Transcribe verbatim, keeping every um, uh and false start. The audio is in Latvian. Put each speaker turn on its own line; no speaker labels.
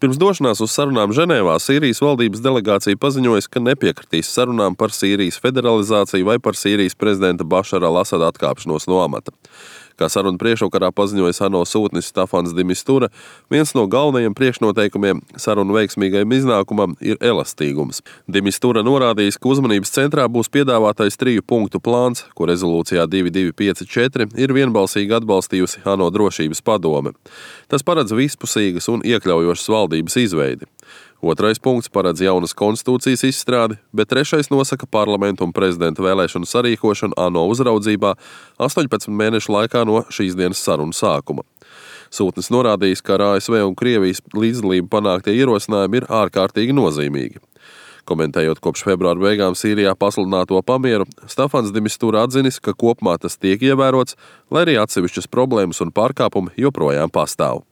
Pirms došanās uz sarunām Ženēvā Sīrijas valdības delegācija paziņoja, ka nepiekritīs sarunām par Sīrijas federalizāciju vai par Sīrijas prezidenta Bašara al-Asada atkāpšanos no amata. Kā sarunu priekšvakarā paziņoja ANO sūtnis Stafans de Mistura, viens no galvenajiem priekšnoteikumiem sarunu veiksmīgajam iznākumam ir elastīgums. De Mistura norādījis, ka uzmanības centrā būs piedāvātais triju punktu plāns, ko rezolūcijā divi divi pieci četri ir vienbalsīgi atbalstījusi ANO drošības padome. Tas paredz vispusīgas un iekļaujošas valdības izveidi. Otrais punkts paredz jaunas konstitūcijas izstrādi, bet trešais nosaka parlamentu un prezidenta vēlēšanu sarīkošanu ANO uzraudzībā astoņpadsmit mēnešu laikā no šīs dienas sarunu sākuma. Sūtnis norādījis, ka ar A S V un Krievijas līdzdalību panāktie ierosinājumi ir ārkārtīgi nozīmīgi. Komentējot kopš februāra beigām Sīrijā pasludināto pamieru, Stafans de Mistura atzinis, ka kopumā tas tiek ievērots, lai arī atsevišķas problēmas un pārkāpumi joprojām pastāv.